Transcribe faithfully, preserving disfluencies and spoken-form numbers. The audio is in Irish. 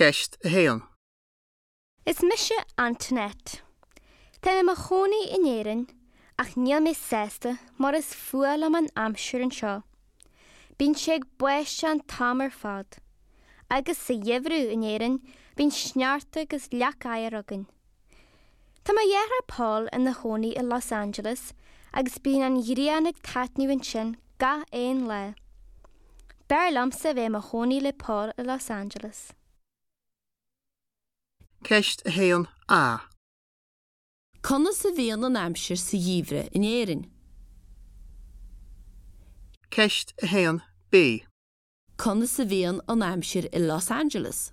Ceist a haon. Is mise Antoinette. Tá mé i mo chónaí in Éirinn ach níl mé sásta mar is fuath liom an aimsir anseo. Bíonn sé ag báisteach an t-am ar fad. Agus sa gheimhreadh in Éirinn bíonn sneachta agus leac oighir againn. Tá mo dheartháir Paul ina chónaí i Los Angeles agus bíonn an ghrian ag taitneamh ansin gach aon lá. B'fhearr liomsa bheith i mo chónaí le Paul i Los Angeles. Ceist a haon A. Conas a bhíonn an aimsir sa gheimhreadh in Éirinn? Ceist a haon B. Conas a bhíonn an aimsir i Los Angeles?